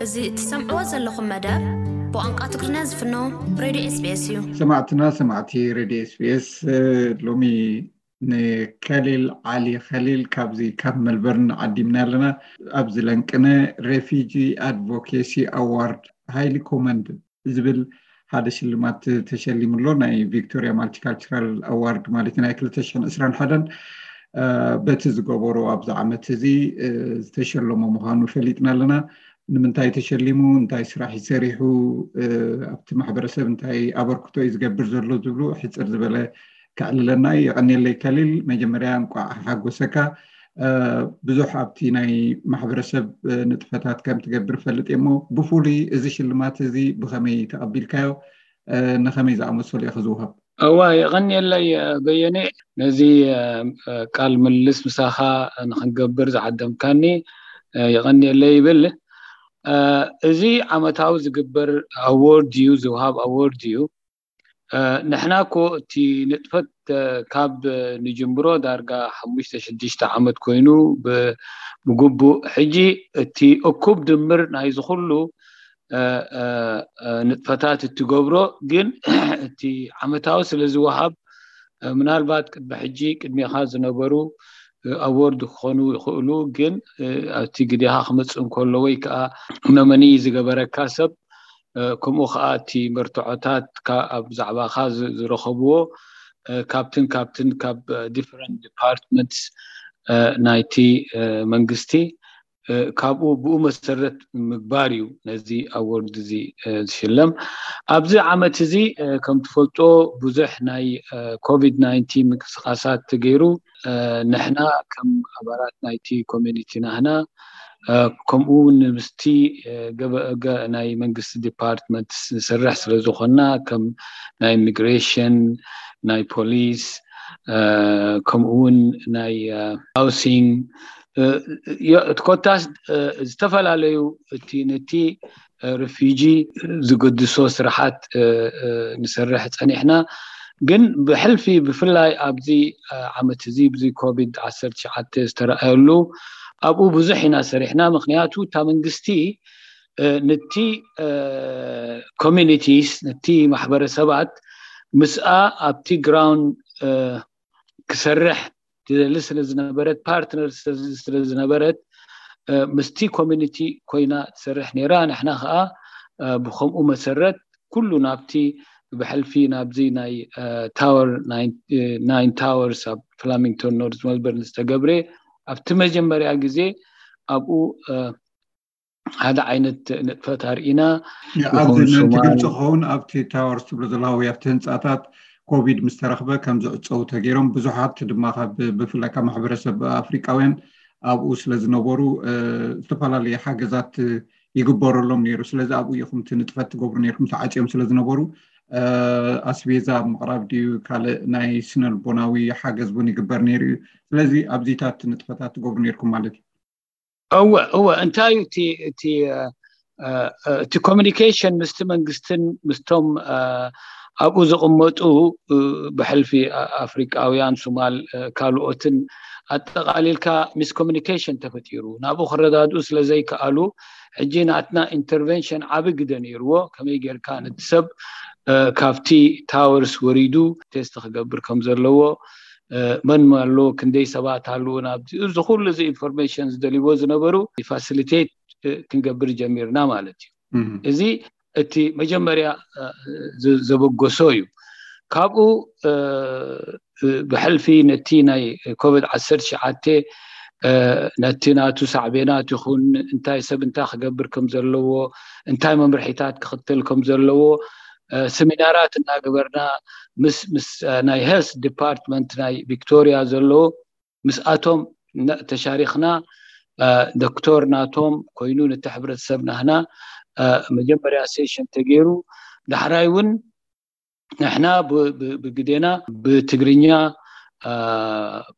እዚ እትሰምዕዎ ዘለኹም መደብ ብቋንቋ ትግርኛ ዝፍኖ ሬድዮ ኤስቢኤስ እዩ። ሰማዕትና ሰማዕቲ ሬድዮ ኤስቢኤስ፣ ሎሚ ንከሊል ዓሊ ከሊል ካብዚ ካብ መልበርን ዓዲምና ኣለና። ኣብዚ ለንቅነ ሬፊጂ ኣድቮኬሲ ኣዋርድ ሃይሊ ኮመንድ ዝብል ሓደ ሽልማት ተሸሊሙ ኣሎ። ናይ ቪክቶሪያ ማልቲካልቸራል ኣዋርድ ማለት ናይ ክልተ ሽሕን ዕስራን ሓደን በቲ ዝገበሮ ኣብዚ ዓመት እዚ ዝተሸለሞ ምዃኑ ፈሊጥና ኣለና። ንምንታይ ተሸሊሙ፣ እንታይ ስራሕ ይሰሪሑ፣ ኣብቲ ማሕበረሰብ እንታይ ኣበርክቶ እዩ ዝገብር ዘሎ ዝብሉ ሕፅር ዝበለ ከዕልለና እዩ። የቐንየለይ ከሊል፣ መጀመርያ እንቋዕ ሓጎሰካ። ብዙሕ ኣብቲ ናይ ማሕበረሰብ ንጥፈታት ከም ትገብር ፈልጥ እሞ፣ ብፍሉይ እዚ ሽልማት እዚ ብኸመይ ተቐቢልካዮ? ንኸመይ ዝኣመሰሉ ኢኻ ዝውሃብ? እዋ፣ የቐንየለይ በየነ፣ ነዚ ቃል ምልልስ ምሳኻ ንክንገብር ዝዓደምካኒ የቐንየለይ ይብል። እዚ ዓመታዊ ዝግበር ኣዎርድ እዩ፣ ዝውሃብ ኣዎርድ እዩ። ንሕና እኮ እቲ ንጥፈት ካብ ንጅምሮ ዳርጋ ሓሙሽተ ሽዱሽተ ዓመት ኮይኑ ብግቡእ፣ ሕጂ እቲ እኩብ ድምር ናይዚ ኩሉ ንጥፈታት እትገብሮ ግን እቲ ዓመታዊ ስለ ዝወሃብ፣ ምናልባት ቅድሚ ሕጂ ቅድሜኻ ዝነበሩ ኣዎርድ ክኾኑ ይኽእሉ፣ ግን ኣብቲ ግዴኻ ክመፅእ እንከሎ ወይ ከዓ ኖመኒ ዝገበረካ ሰብ፣ ከምኡ ከዓ እቲ መርትዖታት ኣብ ዛዕባኻ ዝረኸብዎ ካብትን ካብትን ካብ ዲፍረንት ዲፓርትመንትስ ናይቲ መንግስቲ፣ ካብኡ ብኡ መሰረት ምግባር እዩ ነዚ ኣዎርድ እዚ ዝሽለም። ኣብዚ ዓመት እዚ ከም ትፈልጦ ብዙሕ ናይ ኮቪድ ናይንቲን ምንቅስቃሳት ተገይሩ። ንሕና ከም ኣባላት ናይቲ ኮሚኒቲ ናህና ከምኡ እውን ምስቲ ገበ ናይ መንግስቲ ዲፓርትመንት ንሰርሕ ስለ ዝኾንና፣ ከም ናይ ኢሚግሬሽን፣ ናይ ፖሊስ፣ ከምኡ እውን ናይ ሃውሲንግ፣ ኮታስ ዝተፈላለዩ እቲ ነቲ ሪፊጂ ዝገድሶ ስራሓት ንሰርሕ ፀኒሕና። ግን ብሕልፊ ብፍላይ ኣብዚ ዓመት እዚ ብዚ ኮቪድ ዓሰርተ ትሽዓተ ዝተረኣየሉ ኣብኡ ብዙሕ ኢና ሰሪሕና። ምክንያቱ እታ መንግስቲ ነቲ ኮሚኒቲስ፣ ነቲ ማሕበረሰባት ምስኣ ኣብቲ ግራውንድ ክሰርሕ ትደሊ ስለ ዝነበረት፣ ፓርትነር ስለ ዝነበረት፣ ምስቲ ኮሚኒቲ ኮይና ትሰርሕ ነይራ። ንሕና ከዓ ብከምኡ መሰረት ኩሉ ናብቲ ብሕልፊ ናብዚ ናይ ታወር ናይን ታወርስ ኣብ ፍላሚንግቶን ኖርዝ መልበርን ዝተገብረ ኣብቲ መጀመርያ ግዜ ኣብኡ ሓደ ዓይነት ንጥፈት ኣርኢና። ኣብዚ ምእንቲ ግልፂ ክኸውን ኣብቲ ታወርስ ትብሎ ዘለኻ ወይ ኣብቲ ህንፃታት ኮቪድ ምስ ተረኽበ ከም ዝዕፀው ተገይሮም ብዙሓት ድማ ካብ ብፍላይ ካብ ማሕበረሰብ ኣፍሪቃውያን ኣብኡ ስለ ዝነበሩ ዝተፈላለየ ሓገዛት ይግበረሎም ነይሩ። ስለዚ ኣብኡ ኢኹም እቲ ንጥፈት ትገብሩ ነይርኩም፣ ተዓፅዮም ስለ ዝነበሩ ኣስቤዛ ኣብ ምቕራብ ድዩ ካልእ ናይ ስነልቦናዊ ሓገዝ እውን ይግበር ነይሩ እዩ። ስለዚ ኣብዚታት ንጥፈታት ትገብሩ ነይርኩም ማለት እዩ። እወ እወ፣ እንታይ እዩ እቲ እቲ እቲ ኮሚኒኬሽን ምስቲ መንግስትን ምስቶም ኣብኡ ዝቕመጡ ብሕልፊ ኣፍሪቃውያን፣ ሱማል፣ ካልኦትን ኣጠቓሊልካ ሚስኮሚኒኬሽን ተፈጢሩ። ናብኡ ክረዳድኡ ስለ ዘይከኣሉ ሕጂ ናትና ኢንተርቨንሽን ዓቢ ግደ ነይርዎ። ከመይ ጌርካ ነቲ ሰብ ካብቲ ታወርስ ወሪዱ ቴስት ክገብር ከም ዘለዎ፣ መን ኣሎ፣ ክንደይ ሰባት ኣለዉ፣ ናብዚ እዚ ኩሉ እዚ ኢንፎርሜሽን ዝደልይዎ ዝነበሩ ፋሲሊቴት ክንገብር ጀሚርና ማለት እዩ። እዚ እቲ መጀመርያ ዘበገሶ እዩ። ካብኡ ብሕልፊ ነቲ ናይ ኮቪድ ዓሰርተ ትሽዓተ ነቲ ናቱ ሳዕቤናት ይኹን እንታይ ሰብ እንታይ ክገብር ከም ዘለዎ፣ እንታይ መምርሒታት ክኽተል ከም ዘለዎ ሰሚናራት እናገበርና ምስ ምስ ናይ ሄልስ ዲፓርትመንት ናይ ቪክቶሪያ ዘለዎ ምስኣቶም ተሻሪኽና። ዶክተር ናቶም ኮይኑ ነቲ ሕብረተሰብ ናህና መጀመርያ ሴሽን ተገይሩ፣ ዳሕራይ እውን ንሕና ብግዴና ብትግርኛ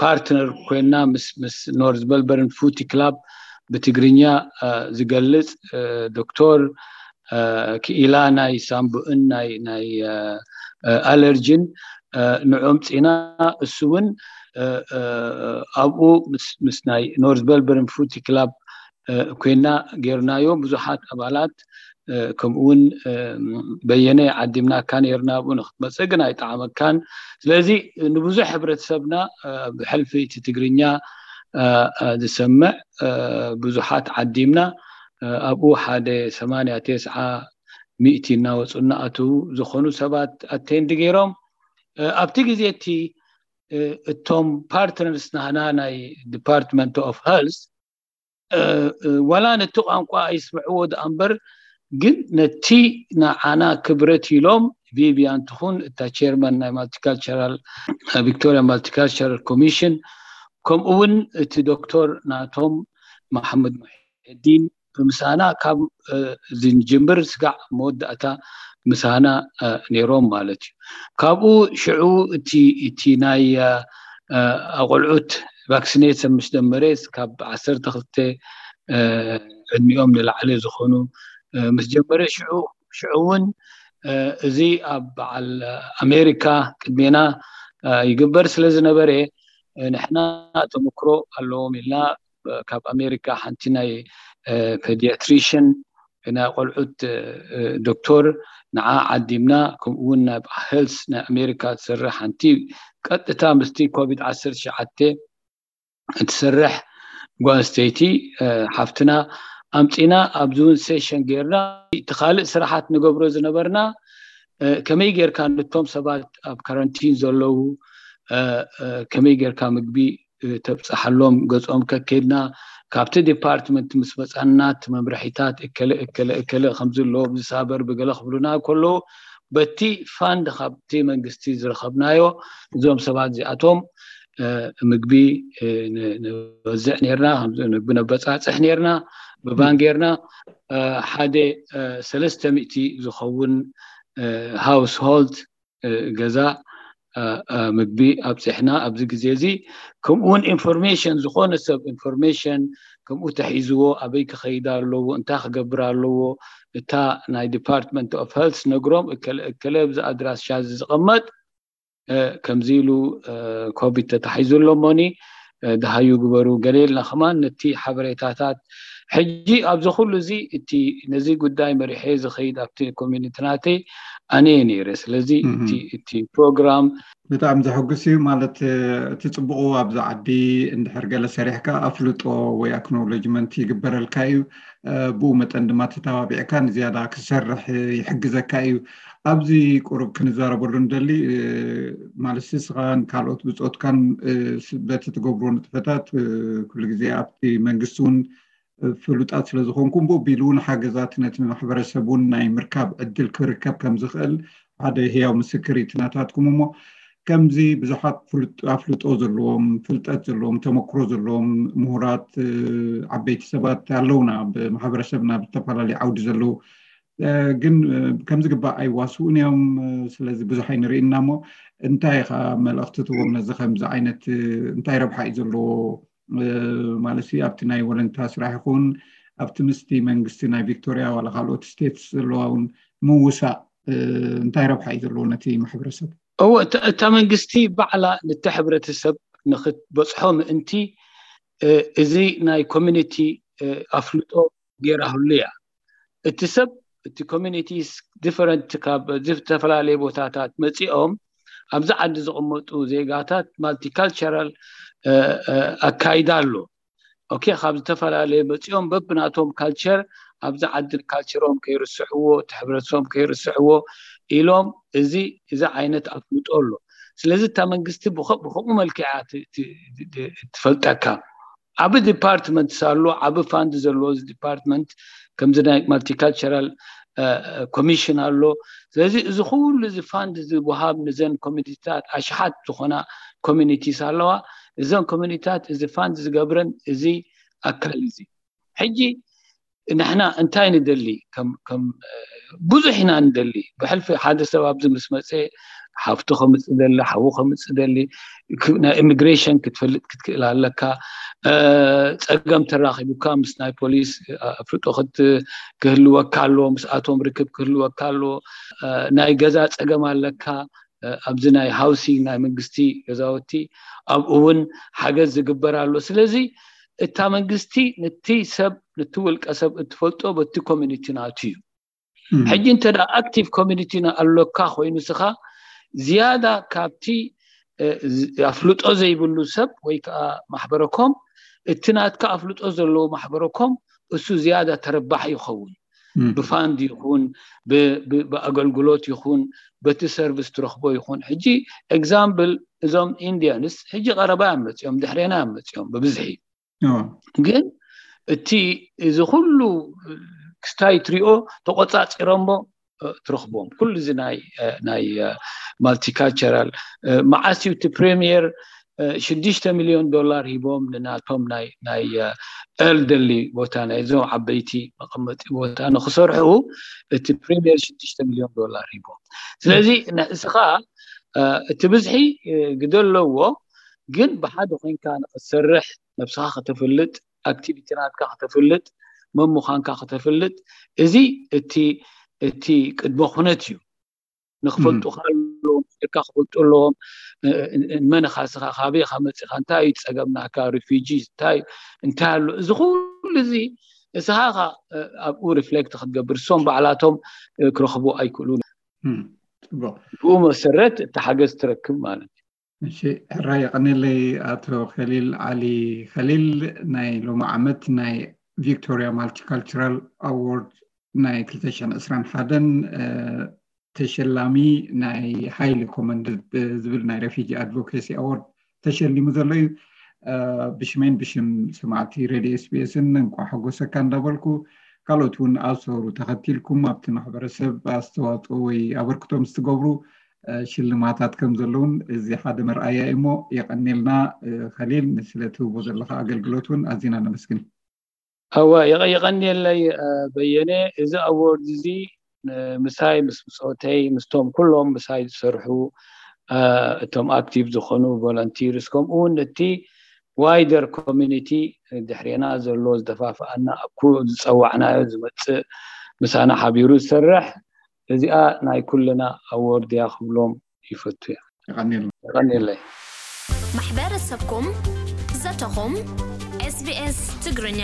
ፓርትነር ኮይና ምስ ኖርዝ መልበርን ፉቲ ክላብ ብትግርኛ ዝገልፅ ዶክተር ክኢላ ናይ ሳምቡእን ናይ ናይ ኣለርጅን ንዖም ፂና፣ እሱ እውን ኣብኡ ምስ ናይ ኖርዝ መልበርን ፉቲ ክላብ ኮይና ጌርናዮ። ብዙሓት ኣባላት ከምኡውን በየነ ዓዲምናካ ነርና፣ ኣብኡ ንክትመፅእ ግን ኣይጠዓመካን። ስለዚ ንብዙሕ ሕብረተሰብና ብሕልፊ እቲ ትግርኛ ዝሰምዕ ብዙሓት ዓዲምና፣ ኣብኡ ሓደ ሰማንያ ተስዓ ሚእቲ እናወፁ እናኣትዉ ዝኾኑ ሰባት ኣቴንድ ገይሮም። ኣብቲ ግዜ እቲ እቶም ፓርትነርስ ናህና ናይ ዲፓርትመንት ኦፍ ሄልስ ዋላ ነቲ ቋንቋ ኣይስምዕዎ ደኣ እምበር፣ ግን ነቲ ንዓና ክብረት ኢሎም ቪቪያን ትኹን እታ ቸርማን ናይ ማልቲካልቸራል፣ ቪክቶሪያ ማልቲካልቸራል ኮሚሽን፣ ከምኡ እውን እቲ ዶክተር ናቶም መሓመድ ሙሒዲን ብምሳና ካብ ዝንጅምር ስጋዕ መወዳእታ ምሳና ነይሮም ማለት እዩ። ካብኡ ሽዑ እቲ ናይ ኣቆልዑት ቫክሲኔሽን ምስ ጀመረ፣ ካብ ዓሰርተ ክልተ ዕድሚኦም ንላዕሊ ዝኾኑ ምስ ጀመረ፣ ሽዑ ሽዑ እውን እዚ ኣብ በዓል ኣሜሪካ ቅድሜና ይግበር ስለ ዝነበረ፣ ንሕና ተመክሮ ኣለዎም ኢልና ካብ ኣሜሪካ ሓንቲ ናይ ፔዲያትሪሽን ናይ ቆልዑት ዶክተር ንዓ ዓዲምና፣ ከምኡ እውን ናብ ሄልስ ናይ ኣሜሪካ ትሰርሕ ሓንቲ ቀጥታ ምስቲ ኮቪድ ዓሰርተ ትሽዓተ እትሰርሕ ጓል ኣንስተይቲ ሓፍትና ኣምፂና ኣብዚ እውን ሴሽን ጌርና። እቲ ካልእ ስራሓት ንገብሮ ዝነበርና ከመይ ጌርካ ነቶም ሰባት ኣብ ካራንቲን ዘለዉ ከመይ ጌርካ ምግቢ ተብፀሓሎም ገፆም ከኬድና፣ ካብቲ ዲፓርትመንት ምስ መፃና እቲ መምርሒታት እከለ እከለ እከለ ከምዚ ኣለዎ፣ ብዝሳበር ብገለ ክብሉና ከለዉ፣ በቲ ፋንድ ካብቲ መንግስቲ ዝረኸብናዮ እዞም ሰባት እዚኣቶም ምግቢ ንወዝዕ ነርና፣ ምግቢ ነበፃፅሕ ነርና። ብባን ጌርና ሓደ ሰለስተ ሚእቲ ዝኸውን ሃውስሆልድ ገዛ ምግቢ ኣብፅሕና ኣብዚ ግዜ እዚ። ከምኡውን ኢንፎርሜሽን፣ ዝኾነ ሰብ ኢንፎርሜሽን ከምኡ ተሒዝዎ ኣበይ ክኸይድ ኣለዎ፣ እንታይ ክገብር ኣለዎ፣ እታ ናይ ዲፓርትመንት ኦፍ ሄልስ ነግሮም፣ እከለ እከለ ብዚ ኣድራሻ እዚ ዝቐመጥ ከምዚ ኢሉ ኮቪድ ተታሒዙ ኣሎ እሞኒ ደሃዩ ግበሩ ገለ ኢልና ከማን ነቲ ሓበሬታታት። ሕጂ ኣብዚ ኩሉ እዚ እቲ ነዚ ጉዳይ መሪሐ ዝኸይድ ኣብቲ ኮሚኒቲ ናተይ ኣነ እየ ነይረ። ስለዚ እቲ ፕሮግራም ብጣዕሚ ዘሐጉስ እዩ። ማለት እቲ ፅቡቑ ኣብዚ ዓዲ እንድሕር ገለ ሰሪሕካ ኣፍልጦ ወይ ኣክኖሎጅመንት ይግበረልካ እዩ። ብኡ መጠን ድማ ተተባቢዕካ ንዝያዳ ክሰርሕ ይሕግዘካ እዩ። ኣብዚ ቁሩብ ክንዛረበሉ ንደሊ ማለት ንስኻን ካልኦት ብፆትካን በቲ ትገብርዎ ንጥፈታት ኩሉ ግዜ ኣብቲ መንግስቲ እውን ፍሉጣት ስለ ዝኾንኩም ብኡ ኣቢሉ እውን ሓገዛት ነቲ ማሕበረሰብ እውን ናይ ምርካብ ዕድል ክርከብ ከም ዝኽእል ሓደ ህያው ምስክር እዩ ናታትኩም። እሞ ከምዚ ብዙሓት ኣፍልጦ ዘለዎም፣ ፍልጠት ዘለዎም፣ ተመክሮ ዘለዎም ምሁራት፣ ዓበይቲ ሰባት ኣለውና ኣብ ማሕበረሰብና ብዝተፈላለዩ ዓውዲ ዘለዉ፣ ግን ከም ዝግባእ ኣይዋስኡን እዮም። ስለዚ ብዙሕ ኣይንርኢ እና እሞ እንታይ ኢኻ መልእኽቲ ትህቦም ነዚ ከምዚ ዓይነት እንታይ ረብሓ እዩ ዘለዎ ማለት ኣብቲ ናይ ወለንታ ስራሕ ይኹን ኣብቲ ምስቲ መንግስቲ ናይ ቪክቶሪያ ዋላ ካልኦት ስቴትስ ዘለዋ እውን ምውሳእ እንታይ ረብሓ እዩ ዘለዎ ነቲ ማሕበረሰብ? እወ፣ እታ መንግስቲ ባዕላ ነቲ ሕብረተሰብ ንክትበፅሖ ምእንቲ እዚ ናይ ኮሚኒቲ ኣፍልጦ ገይራህሉ እያ። እቲ ሰብ እቲ ኮሚኒቲስ ዲፈረንት ካብ ዝተፈላለየ ቦታታት መፂኦም ኣብዚ ዓዲ ዝቕመጡ ዜጋታት ማልቲካልቸራል ኣካይዳ ኣሎ። ኦኬ፣ ካብ ዝተፈላለየ መፂኦም በብናቶም ካልቸር ኣብዚ ዓዲ ካልቸሮም ከይርስሕዎ እቲ ሕብረተሰቦም ከይርስሕዎ ኢሎም እዚ እዚ ዓይነት ኣፍልጦ ኣሎ። ስለዚ እታ መንግስቲ ብከምኡ መልክዓ ትፈልጠካ። ዓብ ዲፓርትመንት ኣሎ፣ ዓብ ፋንድ ዘለዎ እዚ ዲፓርትመንት ከምዚ ናይ ማልቲካልቸራል ኮሚሽን ኣሎ። ስለዚ እዚ ኩሉ እዚ ፋንድ ዝወሃብ ንዘን ኮሚኒቲታት ኣሽሓት ዝኾና ኮሚኒቲስ ኣለዋ። እዘን ኮሚኒቲታት እዚ ፋንድ ዝገብረን እዚ ኣካል እዚ ሕጂ ንሕና እንታይ ንደሊ? ከም ብዙሕ ኢና ንደሊ። ብሕልፊ ሓደ ሰብ ኣብዚ ምስ መፀ ሓፍቱ ከምፅእ ደሊ፣ ሓዉ ከምፅእ ደሊ፣ ናይ ኢሚግሬሽን ክትፈልጥ ክትክእል ኣለካ። ፀገም ተራኪቡካ ምስ ናይ ፖሊስ ኣፍልጦ ክህልወካ ኣለዎ፣ ምስኣቶም ርክብ ክህልወካ ኣለዎ። ናይ ገዛ ፀገም ኣለካ፣ ኣብዚ ናይ ሃውሲንግ ናይ መንግስቲ ገዛውቲ ኣብኡ እውን ሓገዝ ዝግበር ኣሎ። ስለዚ እታ መንግስቲ ነቲ ሰብ እቲ ውልቀ ሰብ እትፈልጦ በቲ ኮሚኒቲ ናቱ እዩ። ሕጂ እንተ ኣክቲቭ ኮሚኒቲ ኣለካ ኮይኑ ስኻ ዝያዳ ካብቲ ኣፍልጦ ዘይብሉ ሰብ ወይ ከዓ ማሕበረኮም እቲ ናትካ ኣፍልጦ ዘለዎ ማሕበረኮም እሱ ዝያዳ ተረባሕ ይኸውን። ብፋንድ ይኹን ብኣገልግሎት ይኹን በቲ ሰርቪስ ትረኽቦ ይኹን። ሕጂ ኤግዛምፕል እዞም ኢንዲያንስ ሕጂ ቀረባ እዮም መፅኦም፣ ድሕሬና እዮም መፅኦም ብብዝሒ። ግን እቲ እዚ ኩሉ ክስታይ ትሪኦ ተቆፃፂሮሞ ትረኽቦም ኩሉ እዚ ናይ ናይ ማልቲካልቸራል መዓስ እዩ እቲ ፕሪሚየር ሽዱሽተ ሚሊዮን ዶላር ሂቦም ንናቶም ናይ ናይ ኤልደርሊ ቦታ ናይ እዞም ዓበይቲ መቐመጢ ቦታ ንክሰርሑ እቲ ፕሪሚየር ሽዱሽተ ሚሊዮን ዶላር ሂቦም። ስለዚ ንስኻ እቲ ብዝሒ ግደ ኣለዎ፣ ግን ብሓደ ኮይንካ ንክትሰርሕ ነብስኻ ከተፍልጥ ኣክቲቪቲ ናትካ ከተፍልጥ መን ምዃንካ ከተፍልጥ እዚ እቲ እቲ ቅድመ ኩነት እዩ። ንክፈልጡካ ኣለዎም፣ ስርካ ክፈልጡ ኣለዎም። መን ኢኻ ስኻ፣ ካበይ ኢኻ መፂኻ፣ እንታይ እዩ ፀገም ናካ፣ ሪፊጂ እንታይ እንታይ ኣሎ፣ እዚ ኩሉ እዚ እስኻ ኢኻ ኣብኡ ሪፍሌክት ክትገብር፣ እሶም ባዕላቶም ክረኽቡ ኣይክእሉን። ብኡ መሰረት እቲ ሓገዝ ትረክብ ማለት እዩ። እሺ፣ ሕራይ የቐኔለይ ኣቶ ከሊል ዓሊ ከሊል። ናይ ሎሚ ዓመት ናይ ቪክቶሪያ ማልቲካልቸራል ኣዋርድ ናይ ክልተ ሽሕን ዕስራን ሓደን ተሸላሚ ናይ ሃይሊ ኮመንድድ ዝብል ናይ ሬፊጂ ኣድቮኬሲ ኣዋርድ ተሸሊሙ ዘሎ እዩ። ብሽመይን ብሽም ሰማዕቲ ሬድዮ ኤስቢኤስን እንኳዕ ሓጎሰካ እንዳበልኩ፣ ካልኦት እውን ኣብ ሰውሩ ተኸቲልኩም ኣብቲ ማሕበረሰብ ኣስተዋፅኦ ወይ ኣበርክቶ ምስ ትገብሩ ሽልማታት ከም ዘለውን እዚ ሓደ መርኣያ እዩ። እሞ የቐኔልና ከሊል፣ ስለቲ ህቦ ዘለካ ኣገልግሎት እውን ኣዚና ነመስግን። ኣዋ የቐ- የቐንየለይ በየነ። እዚ ኣዎርድ እዚ ምሳይ ምስ ብፆተይ ምስቶም ኩሎም ምሳይ ዝሰርሑ እቶም ኣክቲቭ ዝኾኑ ቮለንቲርስ ከምኡ እውን እቲ ዋይደር ኮሚኒቲ ድሕሬና ዘሎ ዝደፋፍኣና ኣብ ዝፀዋዕናዮ ዝመፅእ ምሳና ሓቢሩ ዝሰርሕ እዚኣ ናይ ኩልና ኣዎርድ እያ ክብሎም ይፈቱ እያ። የቐንየለይ። ማሕበረሰብኩም ዘተኹም ኤስቢኤስ ትግርኛ